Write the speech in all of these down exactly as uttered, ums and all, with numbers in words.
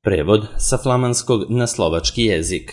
Prevod sa flamanskog na slovački jezik.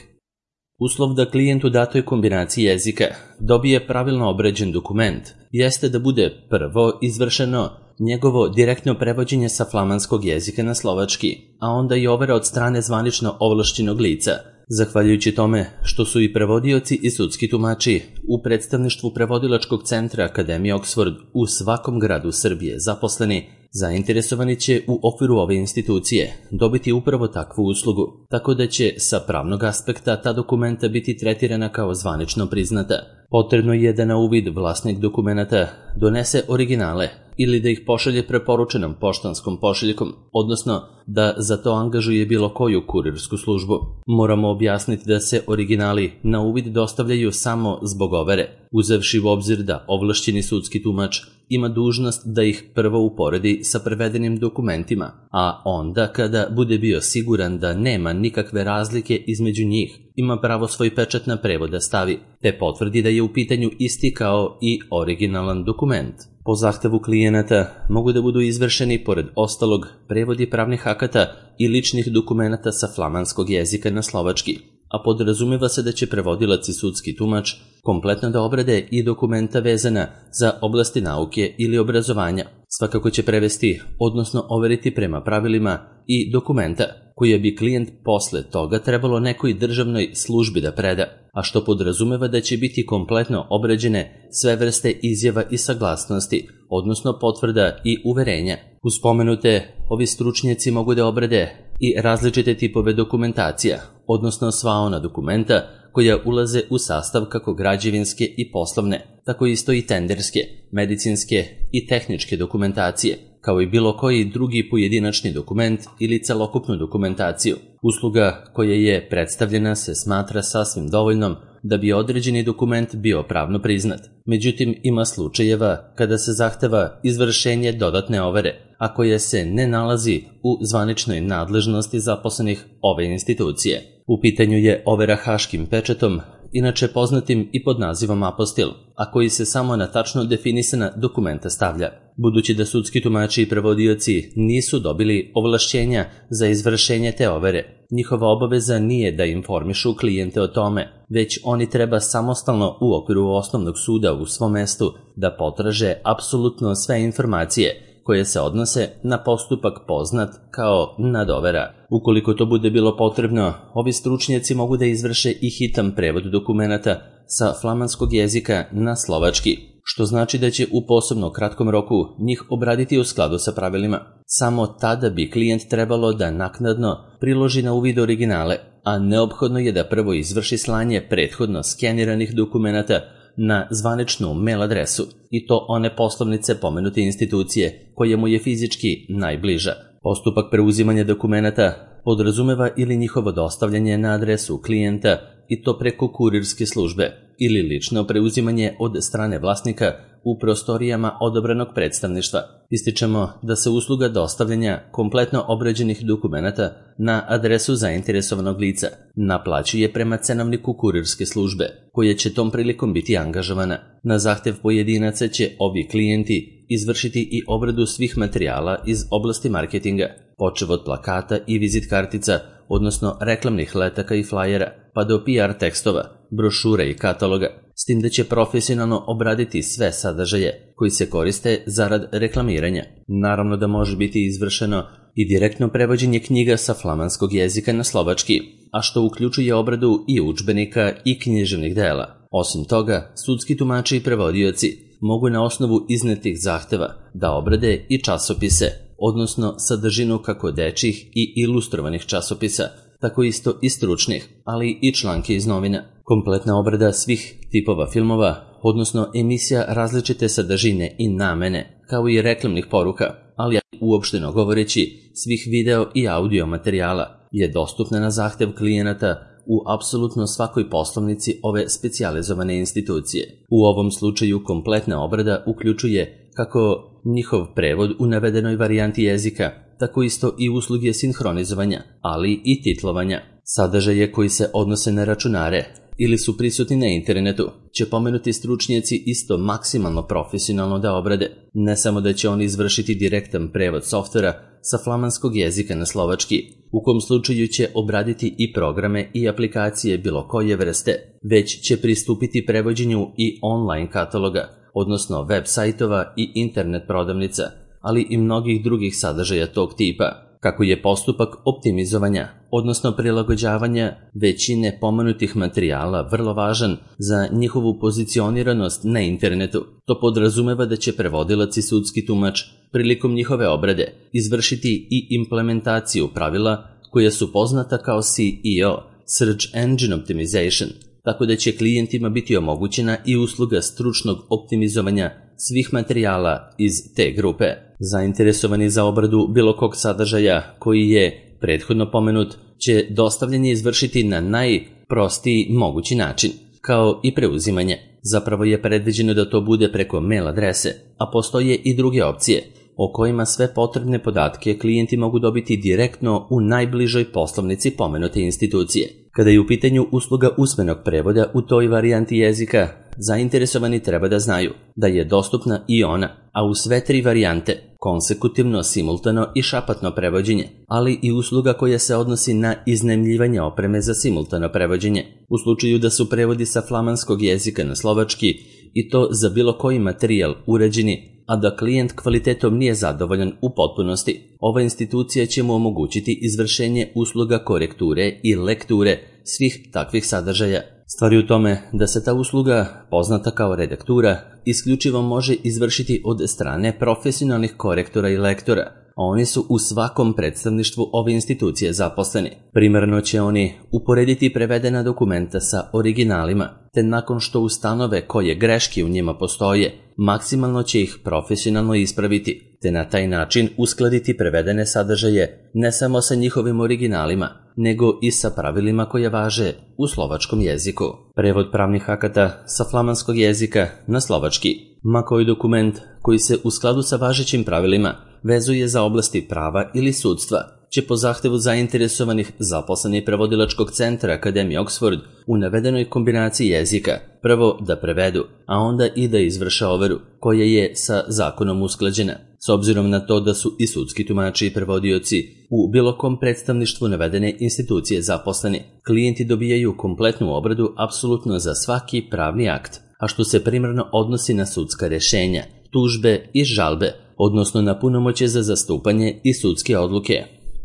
Uslov da klijent u datoj kombinaciji jezika dobije pravilno obrađen dokument jeste da bude prvo izvršeno njegovo direktno prevođenje sa flamanskog jezika na slovački, a onda i overa od strane zvanično ovlašćenog lica. Zahvaljujući tome što su i prevodioci i sudski tumači u predstavništvu Prevodilačkog centra Akademije Oxford u svakom gradu Srbije zaposleni, zainteresovani će u okviru ove institucije dobiti upravo takvu uslugu, tako da će sa pravnog aspekta ta dokumenta biti tretirana kao zvanično priznata. Potrebno je da na uvid vlasnik dokumenta donese originale ili da ih pošalje preporučenom poštanskom pošiljkom, odnosno da za to angažuje bilo koju kurirsku službu. Moramo objasniti da se originali na uvid dostavljaju samo zbog overe, uzevši u obzir da ovlašćeni sudski tumač ima dužnost da ih prvo uporedi sa prevedenim dokumentima, a onda kada bude bio siguran da nema nikakve razlike između njih, ima pravo svoj pečat na prevod da stavi, te potvrdi da je u pitanju isti kao i originalan dokument. Po zahtevu klijenata mogu da budu izvršeni, pored ostalog, prevodi pravnih akata i ličnih dokumenata sa flamanskog jezika na slovački, a podrazumeva se da će prevodilac i sudski tumač kompletno da obrade i dokumenta vezana za oblasti nauke ili obrazovanja. Svakako će prevesti, odnosno overiti prema pravilima i dokumenta koje bi klijent posle toga trebalo nekoj državnoj službi da preda, a što podrazumeva da će biti kompletno obrađene sve vrste izjava i saglasnosti, odnosno potvrda i uverenja. Uz spomenute, ovi stručnjaci mogu da obrade i različite tipove dokumentacija, odnosno sva ona dokumenta koja ulaze u sastav kako građevinske i poslovne, tako isto i tenderske, medicinske i tehničke dokumentacije, kao i bilo koji drugi pojedinačni dokument ili celokupnu dokumentaciju. Usluga koja je predstavljena se smatra sasvim dovoljnom da bi određeni dokument bio pravno priznat. Međutim, ima slučajeva kada se zahteva izvršenje dodatne overe, a koja se ne nalazi u zvaničnoj nadležnosti zaposlenih ove institucije. U pitanju je overa haškim pečatom, inače poznatim i pod nazivom apostil, a koji se samo na tačno definisana dokumenta stavlja. Budući da sudski tumači i prevodioci nisu dobili ovlašćenja za izvršenje te overe, njihova obaveza nije da informišu klijente o tome, već oni treba samostalno u okviru osnovnog suda u svom mestu da potraže apsolutno sve informacije koje se odnose na postupak poznat kao nadovera. Ukoliko to bude bilo potrebno, ovi stručnjaci mogu da izvrše i hitan prevod dokumenata sa flamanskog jezika na slovački, što znači da će u posebno kratkom roku njih obraditi u skladu sa pravilima. Samo tada bi klijent trebalo da naknadno priloži na uvid originale, a neophodno je da prvo izvrši slanje prethodno skeniranih dokumenata na zvaničnu mail adresu, i to one poslovnice pomenute institucije koja mu je fizički najbliža. Postupak preuzimanja dokumenata podrazumeva ili njihovo dostavljanje na adresu klijenta, i to preko kurirske službe, ili lično preuzimanje od strane vlasnika u prostorijama odabranog predstavništva. Ističemo da se usluga dostavljanja kompletno obrađenih dokumenata na adresu zainteresovanog lica naplaćuje prema cenovniku kurirske službe, koja će tom prilikom biti angažovana. Na zahtev pojedinaca će ovi klijenti izvršiti i obradu svih materijala iz oblasti marketinga, počev od plakata i vizit kartica, odnosno reklamnih letaka i flajera, pa do P R tekstova, brošura i kataloga, s tim da će profesionalno obraditi sve sadržaje koji se koriste zarad reklamiranja. Naravno da može biti izvršeno i direktno prevođenje knjiga sa flamanskog jezika na slovački, a što uključuje obradu i udžbenika i književnih dela. Osim toga, sudski tumači i prevodioci mogu na osnovu iznetih zahteva da obrade i časopise, odnosno sadržinu kako dečjih i ilustrovanih časopisa, tako isto i stručnih, ali i članke iz novina. Kompletna obrada svih tipova filmova, odnosno emisija različite sadržine i namene, kao i reklamnih poruka, ali uopšteno govoreći svih video i audio materijala, je dostupna na zahtev klijenata u apsolutno svakoj poslovnici ove specijalizovane institucije. U ovom slučaju kompletna obrada uključuje kako njihov prevod u navedenoj varijanti jezika, tako isto i usluge sinhronizovanja, ali i titlovanja. Sadržaje koji se odnose na računare ili su prisutni na internetu, će pomenuti stručnjaci isto maksimalno profesionalno da obrade. Ne samo da će oni izvršiti direktan prevod softvera sa flamanskog jezika na slovački, u kom slučaju će obraditi i programe i aplikacije bilo koje vrste, već će pristupiti prevođenju i online kataloga, odnosno web sajtova i internet prodavnica, ali i mnogih drugih sadržaja tog tipa. Kako je postupak optimizovanja, odnosno prilagođavanja većine pomenutih materijala vrlo važan za njihovu pozicioniranost na internetu, to podrazumeva da će prevodilac i sudski tumač prilikom njihove obrade izvršiti i implementaciju pravila koja su poznata kao S E O, Search Engine Optimization, tako da će klijentima biti omogućena i usluga stručnog optimizovanja svih materijala iz te grupe. Zainteresovani za obradu bilo kog sadržaja koji je prethodno pomenut će dostavljanje izvršiti na najprostiji mogući način, kao i preuzimanje. Zapravo je predviđeno da to bude preko mail adrese, a postoje i druge opcije o kojima sve potrebne podatke klijenti mogu dobiti direktno u najbližoj poslovnici pomenute institucije. Kada je u pitanju usluga usmenog prevoda u toj varijanti jezika, zainteresovani treba da znaju da je dostupna i ona, a u sve tri varijante, konsekutivno, simultano i šapatno prevođenje, ali i usluga koja se odnosi na iznajmljivanje opreme za simultano prevođenje, u slučaju da su prevodi sa flamanskog jezika na slovački i to za bilo koji materijal uređeni, a da klijent kvalitetom nije zadovoljan u potpunosti. Ova institucija će mu omogućiti izvršenje usluga korekture i lekture svih takvih sadržaja. Stvar je u tome da se ta usluga, poznata kao redaktura, isključivo može izvršiti od strane profesionalnih korektora i lektora, a oni su u svakom predstavništvu ove institucije zaposleni. Primarno će oni uporediti prevedena dokumenta sa originalima, te nakon što ustanove koje greške u njima postoje, maksimalno će ih profesionalno ispraviti, te na taj način uskladiti prevedene sadržaje ne samo sa njihovim originalima, nego i sa pravilima koje važe u slovačkom jeziku. Prevod pravnih akata sa flamanskog jezika na slovački, ma koji dokument koji se u skladu sa važećim pravilima vezuje za oblasti prava ili sudstva, će po zahtevu zainteresovanih zaposleni prevodilačkog centra Akademije Oxford u navedenoj kombinaciji jezika prvo da prevedu, a onda i da izvrše overu, koja je sa zakonom usklađena. S obzirom na to da su i sudski tumači i prevodioci u bilo kom predstavništvu navedene institucije zaposleni, klijenti dobijaju kompletnu obradu apsolutno za svaki pravni akt, a što se primarno odnosi na sudska rešenja, tužbe i žalbe, odnosno na punomoćje za zastupanje i sudske odluke.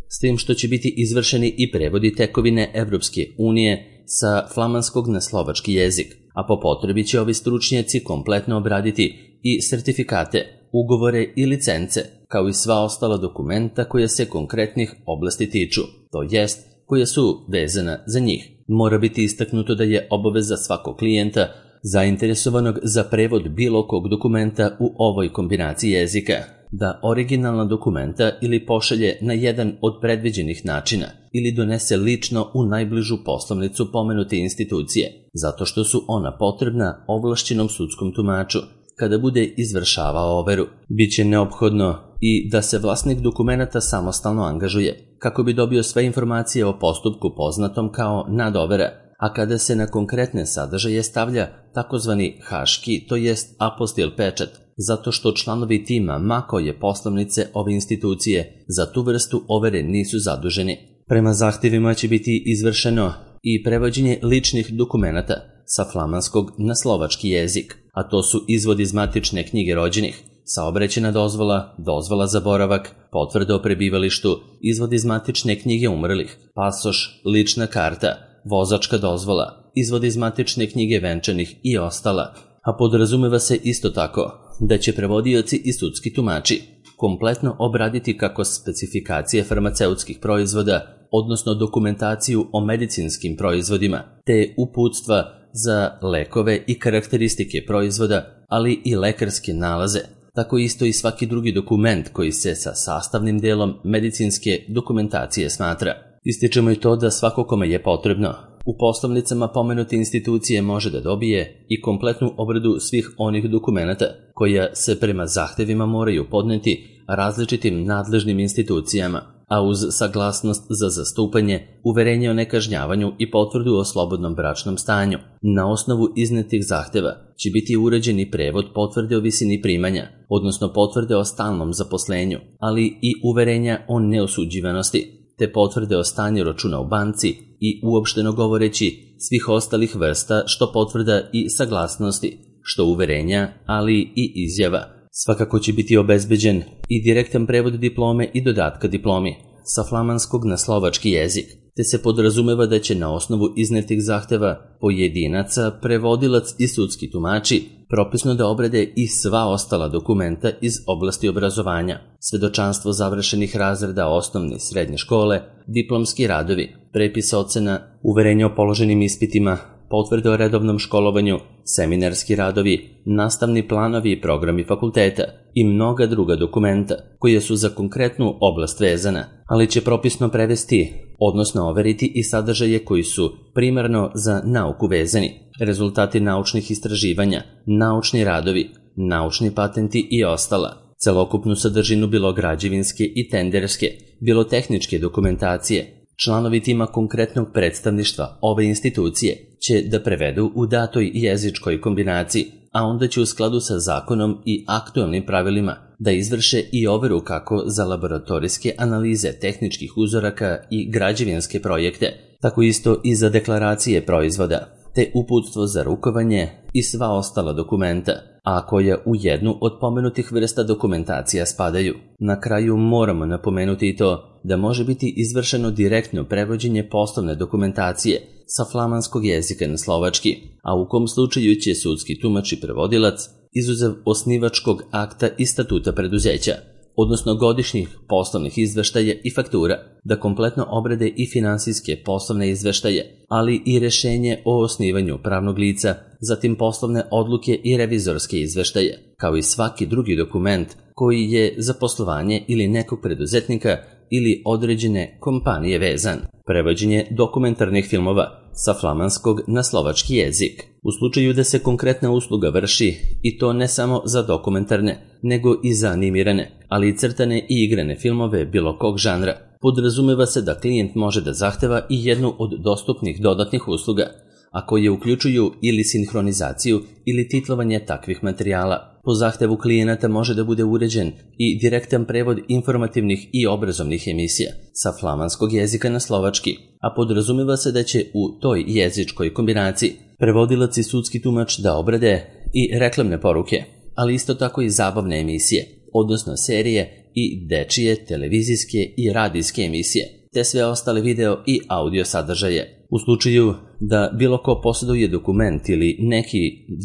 S tim što će biti izvršeni i prevodi tekovine Evropske unije sa flamanskog na slovački jezik, a po potrebi će ovi stručnjaci kompletno obraditi i sertifikate, ugovore i licence, kao i sva ostala dokumenta koja se konkretnih oblasti tiču, to jest koja su vezana za njih. Mora biti istaknuto da je obaveza svakog klijenta zainteresovanog za prevod bilo kog dokumenta u ovoj kombinaciji jezika da originalna dokumenta ili pošalje na jedan od predviđenih načina ili donese lično u najbližu poslovnicu pomenute institucije, zato što su ona potrebna ovlašćenom sudskom tumaču kada bude izvršavao overu. Biće neophodno i da se vlasnik dokumenata samostalno angažuje kako bi dobio sve informacije o postupku poznatom kao nadovera, a kada se na konkretne sadržaje stavlja takozvani haški, to jest apostil pečat, zato što članovi tima ma koje poslovnice ove institucije za tu vrstu overe nisu zaduženi. Prema zahtjevima će biti izvršeno i prevođenje ličnih dokumenata sa flamanskog na slovački jezik, a to su izvod iz matične knjige rođenih, saobraćajna dozvola, dozvola za boravak, potvrda o prebivalištu, izvod iz matične knjige umrlih, pasoš, lična karta, vozačka dozvola, izvod iz matične knjige venčanih i ostala, a podrazumeva se isto tako da će prevodioci i sudski tumači kompletno obraditi kako specifikacije farmaceutskih proizvoda, odnosno dokumentaciju o medicinskim proizvodima, te uputstva za lekove i karakteristike proizvoda, ali i lekarske nalaze, tako isto i svaki drugi dokument koji se sa sastavnim delom medicinske dokumentacije smatra. Ističemo i to da svako kome je potrebno u poslovnicama pomenute institucije može da dobije i kompletnu obradu svih onih dokumenata koja se prema zahtevima moraju podneti različitim nadležnim institucijama. a uz saglasnost za zastupanje, uverenje o nekažnjavanju i potvrdu o slobodnom bračnom stanju. Na osnovu iznetih zahteva će biti uređen i prevod potvrde o visini primanja, odnosno potvrde o stalnom zaposlenju, ali i uverenja o neosuđivanosti, te potvrde o stanju računa u banci i, uopšteno govoreći, svih ostalih vrsta što potvrda i saglasnosti, što uverenja, ali i izjava. Svakako će biti obezbeđen i direktan prevod diplome i dodatka diplomi sa flamanskog na slovački jezik, te se podrazumeva da će na osnovu iznetih zahteva pojedinaca, prevodilac i sudski tumači propisno da obrade i sva ostala dokumenta iz oblasti obrazovanja, svedočanstvo završenih razreda osnovne i srednje škole, diplomski radovi, prepis ocena, uverenje o položenim ispitima, potvrde o redovnom školovanju, seminarski radovi, nastavni planovi i programi fakulteta i mnoga druga dokumenta koje su za konkretnu oblast vezana, ali će propisno prevesti, odnosno overiti i sadržaje koji su primarno za nauku vezani, rezultati naučnih istraživanja, naučni radovi, naučni patenti i ostala, celokupnu sadržinu bilo građevinske i tenderske, bilo tehničke dokumentacije. Članovi tima konkretnog predstavništva ove institucije će da prevedu u datoj jezičkoj kombinaciji, a onda će u skladu sa zakonom i aktualnim pravilima da izvrše i overu kako za laboratorijske analize tehničkih uzoraka i građevinske projekte, tako isto i za deklaracije proizvoda, te uputstvo za rukovanje i sva ostala dokumenta, a koja u jednu od pomenutih vrsta dokumentacija spadaju. Na kraju moramo napomenuti i to da može biti izvršeno direktno prevođenje poslovne dokumentacije sa flamanskog jezika na slovački, a u kom slučaju će sudski tumač i prevodilac, izuzev osnivačkog akta i statuta preduzeća, odnosno godišnjih poslovnih izveštaja i faktura, da kompletno obrade i finansijske poslovne izveštaje, ali i rešenje o osnivanju pravnog lica, zatim poslovne odluke i revizorske izveštaje, kao i svaki drugi dokument koji je za poslovanje ili nekog preduzetnika ili određene kompanije vezan. Prevođenje dokumentarnih filmova sa flamanskog na slovački jezik. U slučaju da se konkretna usluga vrši, i to ne samo za dokumentarne, nego i za animirane, ali i crtane i igrane filmove bilo kog žanra, podrazumeva se da klijent može da zahteva i jednu od dostupnih dodatnih usluga, a koje uključuju ili sinhronizaciju ili titlovanje takvih materijala. Po zahtevu klijenata može da bude uređen i direktan prevod informativnih i obrazovnih emisija sa flamanskog jezika na slovački, a podrazumeva se da će u toj jezičkoj kombinaciji prevodilac i sudski tumač da obrade i reklamne poruke, ali isto tako i zabavne emisije, odnosno serije i dečije, televizijske i radijske emisije, te sve ostale video i audio sadržaje. U slučaju da bilo ko posjeduje dokument ili neki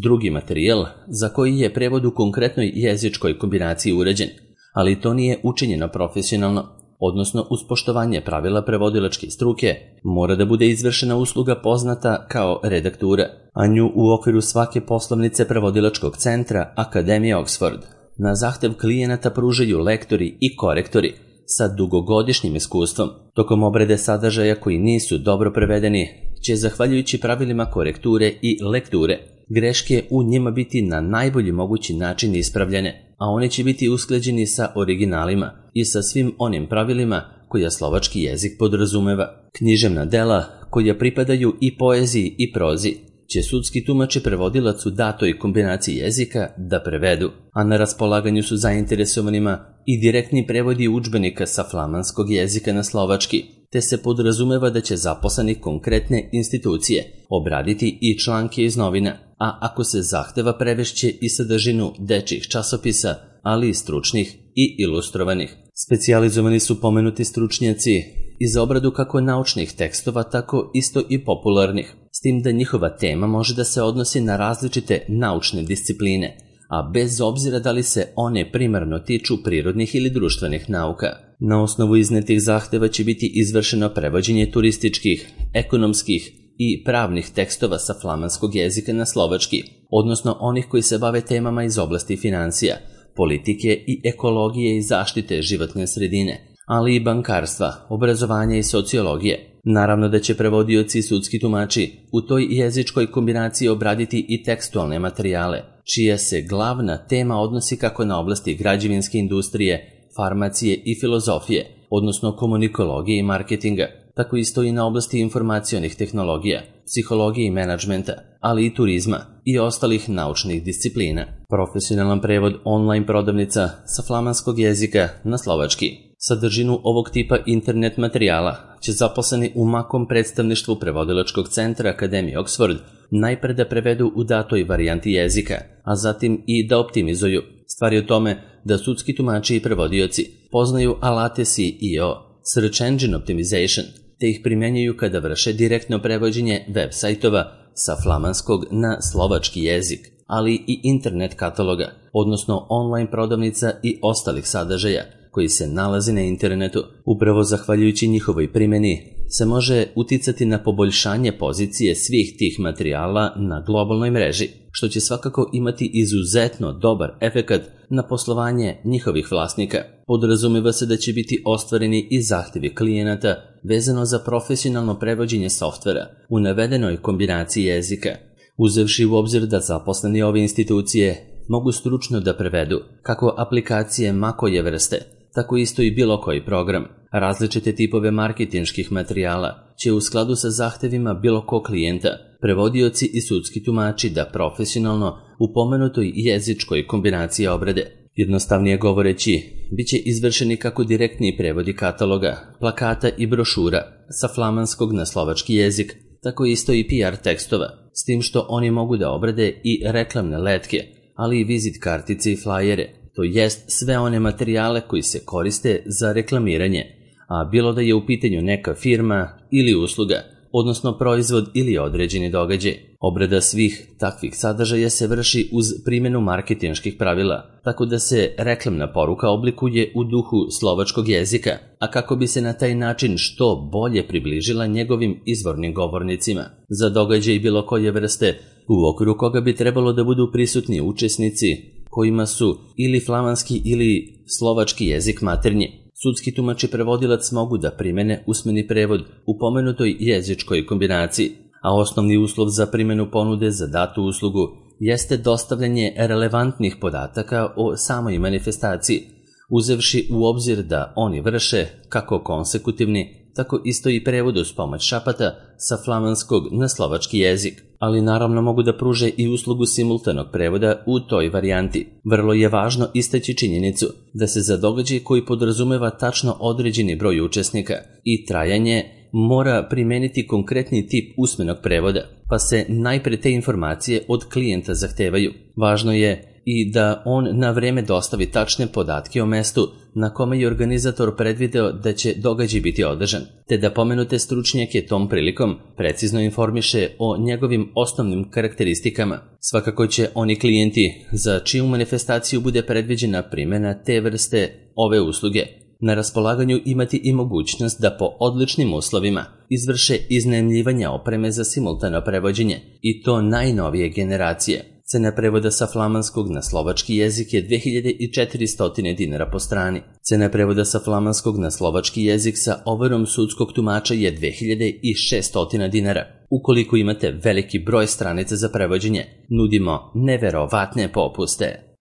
drugi materijal za koji je prevod u konkretnoj jezičkoj kombinaciji uređen, ali to nije učinjeno profesionalno, odnosno uz poštovanje pravila prevodilačke struke, mora da bude izvršena usluga poznata kao redaktura, a nju u okviru svake poslovnice prevodilačkog centra Akademije Oxford na zahtev klijenata pružaju lektori i korektori sa dugogodišnjim iskustvom. Tokom obrade sadržaja koji nisu dobro prevedeni će, zahvaljujući pravilima korekture i lekture, greške u njima biti na najbolji mogući način ispravljene, a one će biti usklađeni sa originalima i sa svim onim pravilima koja slovački jezik podrazumeva. Književna dela koja pripadaju i poeziji i prozi će sudski tumač i prevodilac u datoj kombinaciji jezika da prevedu, a na raspolaganju su zainteresovanima i direktni prevodi udžbenika sa flamanskog jezika na slovački, te se podrazumeva da će zaposleni konkretne institucije obraditi i članke iz novina, a ako se zahteva prevešće i sadržinu dečjih časopisa, ali i stručnih i ilustrovanih. Specijalizovani su pomenuti stručnjaci i za obradu kako naučnih tekstova, tako isto i popularnih, s tim da njihova tema može da se odnosi na različite naučne discipline, a bez obzira da li se one primarno tiču prirodnih ili društvenih nauka. Na osnovu iznetih zahteva će biti izvršeno prevođenje turističkih, ekonomskih i pravnih tekstova sa flamanskog jezika na slovački, odnosno onih koji se bave temama iz oblasti financija, politike i ekologije i zaštite životne sredine, ali i bankarstva, obrazovanja i sociologije. Naravno da će prevodioci i sudski tumači u toj jezičkoj kombinaciji obraditi i tekstualne materijale, čija se glavna tema odnosi kako na oblasti građevinske industrije, farmacije i filozofije, odnosno komunikologije i marketinga, tako isto i na oblasti informacionih tehnologija, psihologije i menadžmenta, ali i turizma i ostalih naučnih disciplina. Profesionalan prevod online prodavnica sa flamanskog jezika na slovački. Sadržinu ovog tipa internet materijala će zaposleni u makom predstavništvu prevodilačkog centra Akademije Oxford najpre da prevedu u datoj varijanti jezika, a zatim i da optimizuju. Stvar je u tome da sudski tumači i prevodioci poznaju alate S E O, Search Engine Optimization, te ih primjenjuju kada vrše direktno prevođenje web sajtova sa flamanskog na slovački jezik, ali i internet kataloga, odnosno online prodavnica i ostalih sadržaja koji se nalazi na internetu. Upravo zahvaljujući njihovoj primjeni se može uticati na poboljšanje pozicije svih tih materijala na globalnoj mreži, što će svakako imati izuzetno dobar efekat na poslovanje njihovih vlasnika. Podrazumeva se da će biti ostvareni i zahtjevi klijenata vezano za profesionalno prevođenje softvera u navedenoj kombinaciji jezika, uzevši u obzir da zaposleni ove institucije mogu stručno da prevedu kako aplikacije ma koje vrste, tako isto i bilo koji program. Različite tipove marketinških materijala će u skladu sa zahtevima bilo kog klijenta prevodioci i sudski tumači da profesionalno u pomenutoj jezičkoj kombinaciji obrade. Jednostavnije govoreći, bit će izvršeni kako direktni prevodi kataloga, plakata i brošura sa flamanskog na slovački jezik, tako isto i P R tekstova, s tim što oni mogu da obrade i reklamne letke, ali i vizit kartice i flajere, to jest sve one materijale koji se koriste za reklamiranje, a bilo da je u pitanju neka firma ili usluga, odnosno proizvod ili određeni događaj. Obrada svih takvih sadržaja se vrši uz primjenu marketinških pravila, tako da se reklamna poruka oblikuje u duhu slovačkog jezika, a kako bi se na taj način što bolje približila njegovim izvornim govornicima. Za događaj bilo koje vrste, u okviru koga bi trebalo da budu prisutni učesnici kojima su ili flamanski ili slovački jezik maternji, sudski tumač i prevodilac mogu da primene usmeni prevod u pomenutoj jezičkoj kombinaciji, a osnovni uslov za primjenu ponude za datu uslugu jeste dostavljanje relevantnih podataka o samoj manifestaciji, uzevši u obzir da oni vrše kako konsekutivni, tako isto i prevod uz pomoć šapata sa flamanskog na slovački jezik, ali naravno mogu da pruže i uslugu simultanog prevoda u toj varijanti. Vrlo je važno istaći činjenicu da se za događaj koji podrazumeva tačno određeni broj učesnika i trajanje mora primeniti konkretni tip usmenog prevoda, pa se najpre te informacije od klijenta zahtevaju. Važno je i da on na vreme dostavi tačne podatke o mestu na kome je organizator predvideo da će događaj biti održan, te da pomenute stručnjake tom prilikom precizno informiše o njegovim osnovnim karakteristikama. Svakako će oni klijenti za čiju manifestaciju bude predviđena primjena te vrste ove usluge na raspolaganju imati i mogućnost da po odličnim uslovima izvrše iznajmljivanje opreme za simultano prevođenje, i to najnovije generacije. Cena prevoda sa flamanskog na slovački jezik je dve hiljade četiristo dinara po strani. Cena prevoda sa flamanskog na slovački jezik sa overom sudskog tumača je dve hiljade šesto dinara. Ukoliko imate veliki broj stranica za prevođenje, nudimo neverovatne popuste.